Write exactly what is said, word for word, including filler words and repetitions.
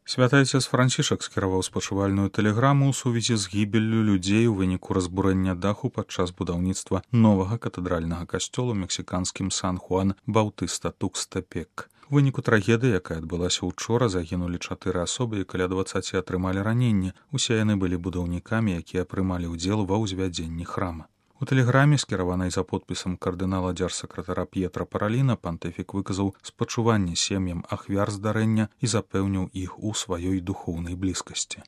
Святы Отец Францішак скіраваў спачувальную тэлеграму ў сувязі з гібеллю людзей у выніку разбурэння даху падчас будаўніцтва новага катэдральнага касцёла ў мексіканскім Сан-Хуан Баўтыста Тукстепек. У выніку трагедыі, якая адбылася учора, загінулі чатыры асобы і каля дваццаці атрымалі раненні. Усе яны былі будаўнікамі, якія прымалі ўдзел ва ўзвядзенні храма. У тэлеграме, скіраванай за подпісам кардынала дзяржсакратара П'етра Параліна, пантыфік выказаў спачуванне сем'ям ахвяр здарэння і запэўніў іх у сваёй духоўнай блізкасці.